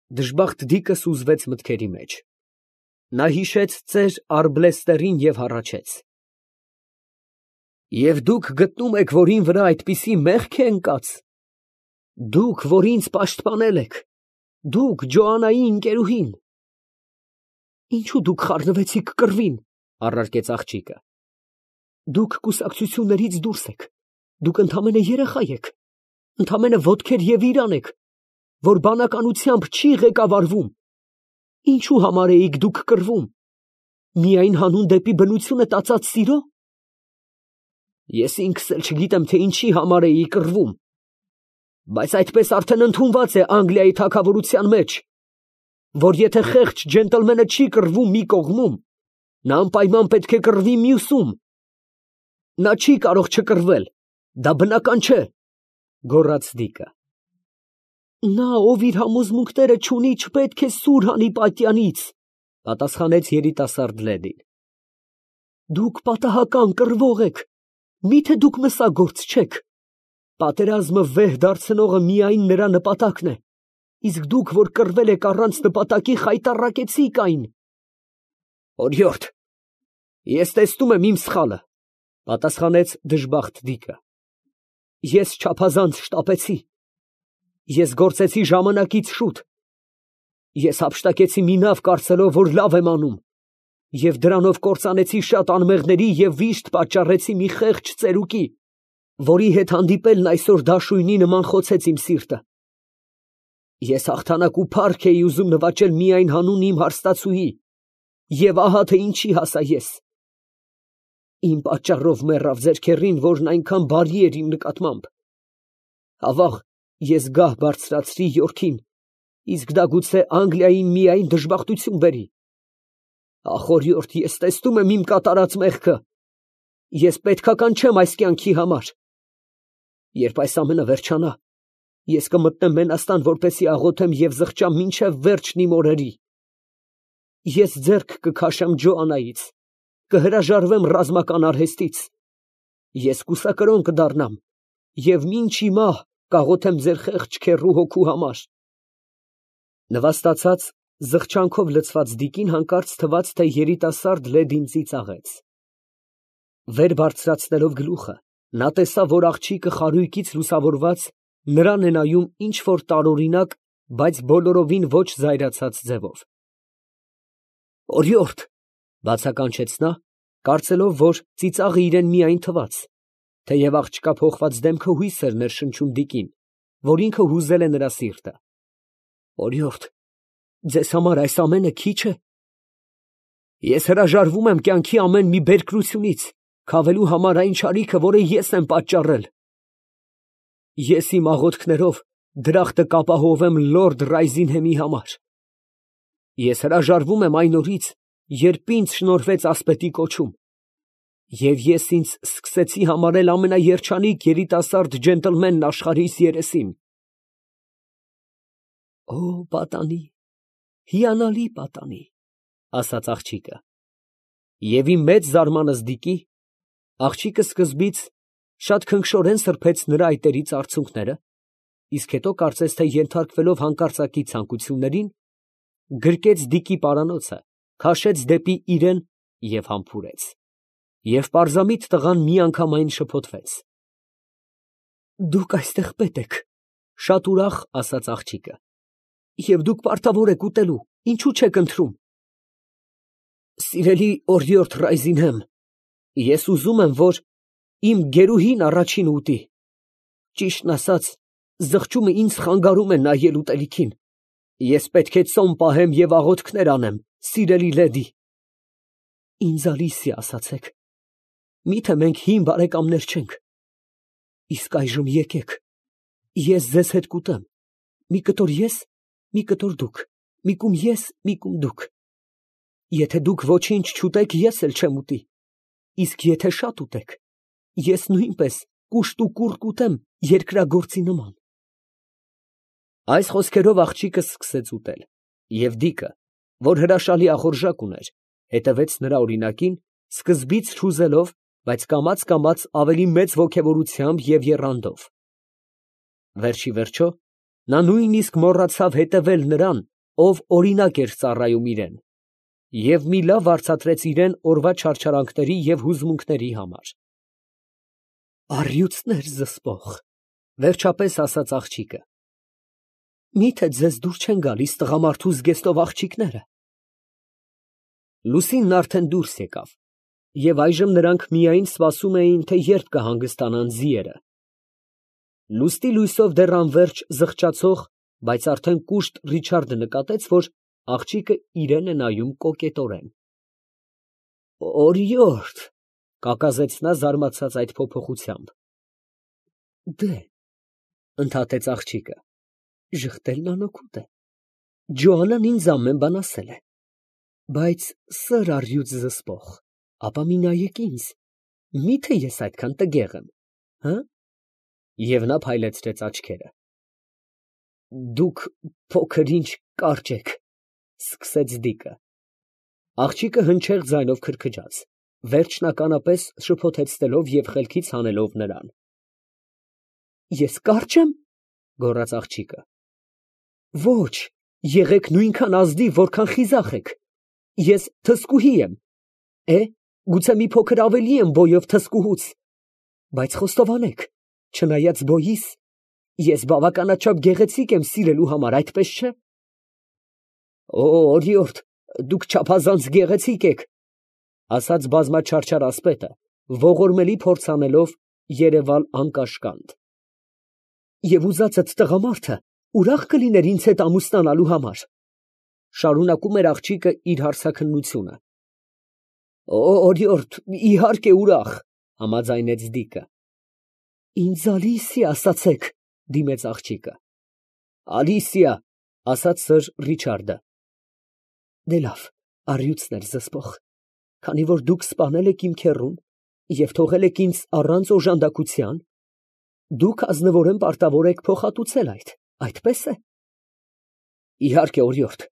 Դժբախտ դիկը սուզվեց մտքերի մեջ։ Նա հիշեց ծեր Արգլեստերին և հառաչեց. Եվ դուք գտնում եք, որ ին վրա այդպիսի մեղք է ընկած, դուք, որ ինձ պաշտպանել եք, դուք Ջոաննայի ընկերուհին։ Ինչո՞ւ դուք խառնվեցիք կռվին, առարկեց աղջիկը։ Դուք կուսակցություններից դուրս եք, դուք ընդամենը երեխա եք, ընդամենը ոտքեր և իրան եք, որ բանականությամբ չի ղեկավարվում։ Ինչու համար էիք դուք կռվում, միայն հանուն դեպի բնությունը տածած սիրո։ Ես ինքս էլ չգիտեմ, թե ինչի համար էի կռվում, բայց այդպես արդեն ընդունված է Անգլիայի թագավորության մեջ, որ եթե խեղճ ջենտլմենը չի կռվում մի կողմում, նա անպայման պետք է կռվի մյուսում։ Նա չի կարող չկռվել, դա բնական չէ, գոռաց դիկը։ Նա, ով իր համոզմունքները չունի, չպետք է սուր հանի պատյանից, պատասխանեց երիտասարդ լեդին։ Դուք պատահական կռվող եք, միթե դուք մսագործ չեք։ Պատերազմը վեհ դարձնողը միայն նրա նպատակն է, իսկ դուք, որ կռվել եք առանց նպատակի, խայտառակեցիք այն։ Օրիորդ, ես տեսնում եմ իմ սխալը, պատասխանեց դժբախտ դիկը։ Ես չափազանց շտապեցի, ես գործեցի ժամանակից շուտ, ես հափշտակեցի մի նավ կարծելով, որ լավ եմ անում, և դրանով կործանեցի շատ անմեղների և վիշտ պատճառեցի մի խեղճ ծերուկի, որի հետ հանդիպելն այսօր դաշույնի նման խոցեց իմ սիրտը։ Ես հաղթանակ ու փառք էի ուզում նվաճել միայն հանուն իմ հարստացուի, և ահա թե ինչի հասա ես։ Իմ պատճառով մեռավ ձեր քեռին, որն այնքան բարի էր իմ նկատմամբ։ Ավաղ, ես գահ բարձրացրի Յորքին, իսկ դա գուցե Անգլիային միայն դժբախտություն բերի։ Ախ, օրիորդ, ես տեսնում եմ իմ կատարած մեղքը, ես պետքական չեմ այս կյանքի համար։ Երբ այս ամենը վերջանա, ես կմտնեմ Մենաստան, որպեսզի աղոթեմ և զղջամ մինչև վերջն իմ օրերի։ Ես ձեռք կքաշեմ Ջոաննայից, կհրաժարվեմ ռազմական արհեստից, ես կուսակրոն կդառնամ և մինչ ի մահ կաղոթեմ ձեր խեղճ քեռու հոգու համար։ Նվաստացած, զղջանքով լցված դիկին հանկարծ թվաց, թե երիտասարդ լեդին ծիծաղեց։ Վեր բարձրացնելով գլուխը, նա տեսավ, որ աղջիկը խարույկից լուսավորված նրան է նայում ինչ֊որ տարօրինակ, բայց բոլորովին ոչ զայրացած ձևով։ Օրիորդ, բացականչեց նա, կարծելով, որ ծիծաղը իրան միայն թվաց, թեև աղջկա փոխված դեմքը հույս էր ներշնչում դիկին, որ ինքը հուզել է նրա սիրտը։ Օրիորդ, ձեզ համար այս ամենը քիչ է։ Ես հրաժարվում եմ կյանքի ամեն մի բերկրությունից, քավելու համար այն չարիքը, որը ես եմ պատճառել։ Ես իմ աղոթքներով դրախտը կապահովեմ լորդ Ռայզինհեմի համար։ Ես հրաժարվում եմ այն օրից, երբ ինձ շնորհվեց ասպետի կոչում, և ես ինձ սկսեցի համարել ամենաերջանիկ երիտասարդ ջենտլմենն աշխարհիս երեսին։ Օ, պատանի, հիանալի պատանի, ասաց աղջիկը։ Եվ իմ մեծ զարմանս դիկի, աղջիկը սկզբից շատ քնքշորեն սրբեց նրա այտերից արցունքները, իսկ հետո կարծես թե ենթարկվելով հանկարծակի ցանկություններին, գրկեց դիկի պարանոցը, քաշեց դեպի իրեն և համբուրեց։ Եվ պարզամիտ տղան միանգամայն շփոթվեց։ Դուք այստեղ պետ եք, շատ ուրախ ասաց աղջիկը, և դուք պարտավոր եք ուտելու, ինչու չեք ընթրում։ Սիրելի օրիորդ Ռայզինհեմ, ես ուզում եմ, որ իմ գերուհին առաջինը ուտի։ Ճիշտն ասած, զղջումը ինձ խանգարում է նայել ուտելիքին։ Ես պետք է ծոմ պահեմ և աղոթքներ անեմ, սիրելի լեդի։ Ինձ Ալիսիա ասացեք, միթե մենք հին բարեկամներ չենք։ Իսկ այժմ եկեք, ես ձեզ հետ կուտեմ, մի կտոր ես, մի կտոր դուք, մի կում ես, մի կում դուք։ Եթե դուք ոչինչ չուտեք, ես էլ չեմ ուտի, իսկ եթե շատ ուտեք, ես նույնպես կուշտ ու կուռ կուտեմ երկրագործի նման։ Այս խոսքերով աղջիկը սկսեց ուտել, և դիկը, որ հրաշալի ախորժակ ուներ, հետևեց նրա օրինակին, սկզբից չուզելով, բայց կամաց ավելի մեծ ոգևորությամբ և եռանդով։ Վերջիվերջո, նա նույնիսկ մոռացավ հետևել նրան, ով օրինակ էր ծառայում իրեն, և մի լավ վարձատրեց իրեն օրվա չարչարանքների և հուզմունքների համար։ Առյուծներ զսպող, վերջապես ասաց աղջիկը, միթե ձեզ դուր չեն գալիս տղամարդու զգեստով աղջիկները։ Լուսինն արդեն դուրս եկավ, և այժմ նրանք միայն սպասում էին, թե երբ կհանգստանան ձիերը։ Լուստի լույսով դեռ անվերջ զղջացող, բայց արդեն կուշտ Ռիչարդը նկատեց, որ աղջիկը իրան է նայում կոկետորեն։ Օրիորդ, կակազեց նա զարմացած այդ փոփոխությամբ։ Դե, ընդհատեց աղջիկը, ժխտելն անօգուտ է։ Ջոանան ինձ ամեն բան ասել է։ Բայց սըր առյուծ զսպող, ապա մի նայեք ինձ, միթե ես այդքան տգեղ եմ, հը։ Եվ նա փայլեցրեց աչքերը։ Դուք փոքր ինչ կարճ եք, սկսեց Դիկը։ Աղջիկը հնչեղ ձայնով քրքջաց, վերջնականապես շփոթեցնելով և խելքից հանելով նրան։ Ես կարճ եմ, գոռաց աղջիկը։ Ոչ, եղեք նույնքան ազնիվ, որքան խիզախ եք։ Ես թզկուհի եմ, գուցե մի փոքր ավելի եմ բոյով թզկուհուց, բայց խոստովանեք, չնայած բոյիս, ես բավականաչափ գեղեցիկ եմ սիրելու համար, այդպես չէ։ Օրիորդ, դուք չափազանց գեղեցիկ եք, ասաց բազմաչարչար ասպետը, ողորմելի փորձ անելով երևալ անկաշկանդ։ Եվ ուզածդ տղամարդը ուրախ կլիներ ինձ հետ ամուսնանալու համար, շարունակում էր աղջիկը իր հարցաքննությունը։ Օրիորդ, իհարկե ուրախ, համաձայնեց Դիկը։ Ինձ Ալիսիա ասացեք, դիմեց աղջիկը։ Ալիսիա, ասաց սըր Ռիչարդը։ Դե լավ, առյուծներ զսպող, քանի որ դուք սպանել եք իմ քեռուն և թողել եք ինձ առանց օժանդակության, դուք ազնվորեն պարտավոր եք փոխհատուցել այդ, այդպես է։ Իհարկե, օրիորդ,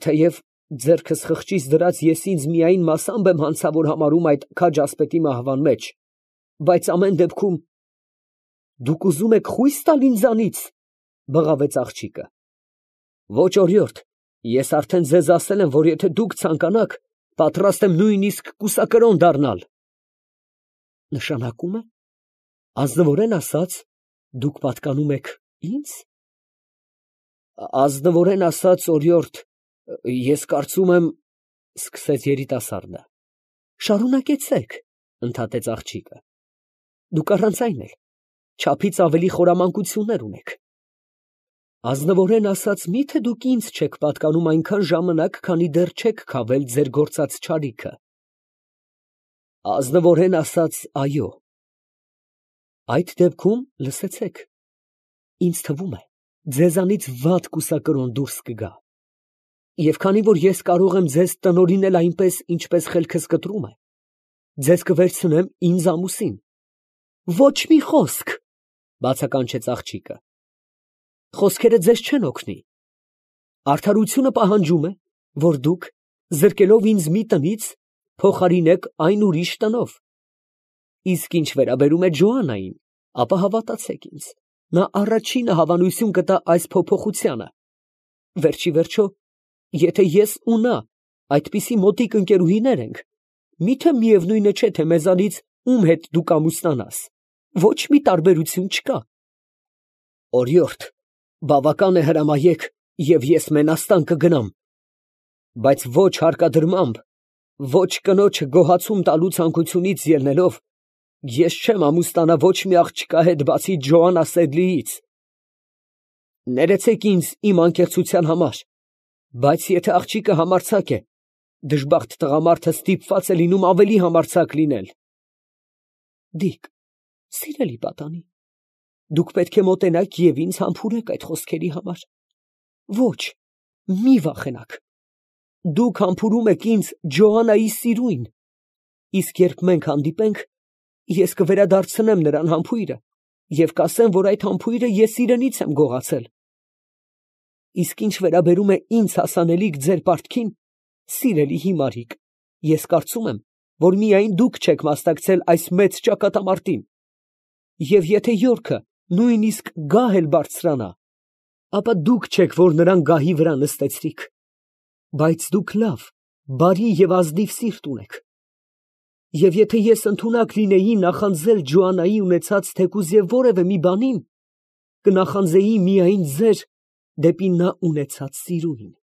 թեև ձեռքս խղճից դրած ես ինձ միայն մասամբ եմ հանցավոր համարում այդ քաջ ասպետի մահվան մեջ, բայց ամեն դեպքում… Դուք ուզում եք խույս տալ ինձանից, բղավեց աղջիկը։ Ոչ, օրիորդ, ես արդեն ձեզ ասել եմ, որ եթե դուք ցանկանաք, պատրաստ եմ նույնիսկ կուսակրոն դառնալ։ Նշանակում է, ազնվորեն ասած, դուք պատկանում եք ինձ։ Ազնվորեն ասած, օրիորդ, ես կարծում եմ, սկսեց երիտասարդը։ Շարունակեցեք, ընդհատեց աղջիկը։ Դուք առանց այն էլ չափից ավելի խորամանկություններ ունեք։ Ազնվորեն ասած, միթե դուք ինձ չեք պատկանում այնքան ժամանակ, քանի դեռ չեք քավել ձեր գործած չարիքը։ Ազնվորեն ասած, այո։ Այդ դեպքում լսեցեք, ինձ թվում է, ձեզանից վատ կուսակրոն դուրս կգա։ Եվ քանի որ ես կարող եմ ձեզ տնօրինել այնպես, ինչպես խելքս կտրում է, ձեզ կվերցնեմ ինձ ամուսին։ Ոչ մի խոսք, բացականչեց աղջիկը։ Խոսքերը ձեզ չեն օգնի։ Արդարությունը պահանջում է, որ դուք, զրկելով ինձ մի տնից, փոխարինեք այն ուրիշ տնով։ Իսկ ինչ վերաբերում է Ջոաննային, ապա հավատացեք ինձ, նա առաջինը հավանություն կտա այս փոփոխությանը։ Վերջի վերջո, եթե ես ու նա այդպիսի մոտիկ ընկերուհիներ ենք, միթե միևնույնը չէ, թե մեզանից ում հետ դու կամուսնանաս, ոչ մի տարբերություն չկա։ Օրիորդ, բավական է հրամայեք, և ես մենաստան կգնամ, բայց ոչ հարկադրմամբ, ոչ կնոջը գոհացում տալու ցանկությունից ելնելով, ես չեմ ամուսնանա ոչ մի աղջկա հետ, բացի Ջոաննա Սեդլիից։ Ներեցեք ինձ իմ անկեղծության համար, բայց եթե աղջիկը համարձակ է, դժբախտ տղամարդը ստիպված է լինում ավելի համարձակ լինել։ Դիկ, սիրելի պատանի, դուք պետք է մոտենաք և ինձ համբուրեք այդ խոսքերի համար։ Ոչ, մի վախենաք։ Դուք համբուրում եք ինձ Ջոաննայի սիրույն, իսկ երբ մենք հանդիպենք, ես կվերադարձնեմ նրան համբույրը և կասեմ, որ այդ համբույրը ես իրենից եմ գողացել։ Իսկ ինչ վերաբերում է ինձ հասանելիք ձեր պարտքին, սիրելի հիմարիկ, ես կարծում եմ, որ միայն դուք չեք մասնակցել այս մեծ ճակատամարտին, և եթե յորքը նույնիսկ գահ էլ բարձրանա, ապա դուք չեք, որ նրան գահի վրա նստեցրիք, բայց դուք լավ, բարի և ազնիվ սիրտ ունեք, և եթե ես ընդունակ լինեի նախանձել Ջոաննայի ունեցած թեկուզ և որևէ մի բանին, կնախանձեի միայն ձեր դեպի նա ունեցած սիրուին։